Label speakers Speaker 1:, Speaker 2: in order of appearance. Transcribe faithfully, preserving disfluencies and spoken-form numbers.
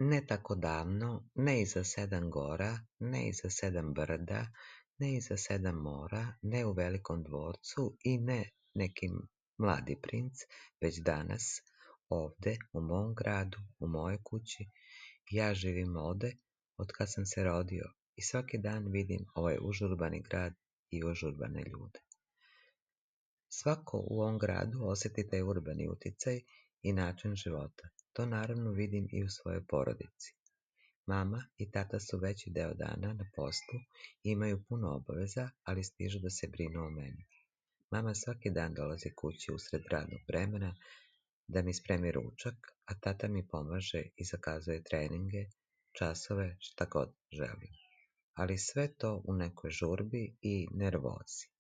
Speaker 1: Ne tako davno, ne iza sedam gora, ne iza sedam brda, ne iza sedam mora, ne u velikom dvorcu i ne neki mladi princ, već danas, ovde, u mom gradu, u mojoj kući, ja živim ovde otkad sam se rodio i svaki dan vidim ovaj užurbani grad i užurbane ljude. Svako u ovom gradu osjeti taj urbani uticaj i način života. To naravno vidim i u svojoj porodici. Mama i tata su veći deo dana na poslu i imaju puno obaveza, ali stižu da se brinu o meni. Mama svaki dan dolazi kući usred radnog vremena da mi spremi ručak, a tata mi pomaže i zakazuje treninge, časove, šta god želim. Ali sve to u nekoj žurbi i nervozi.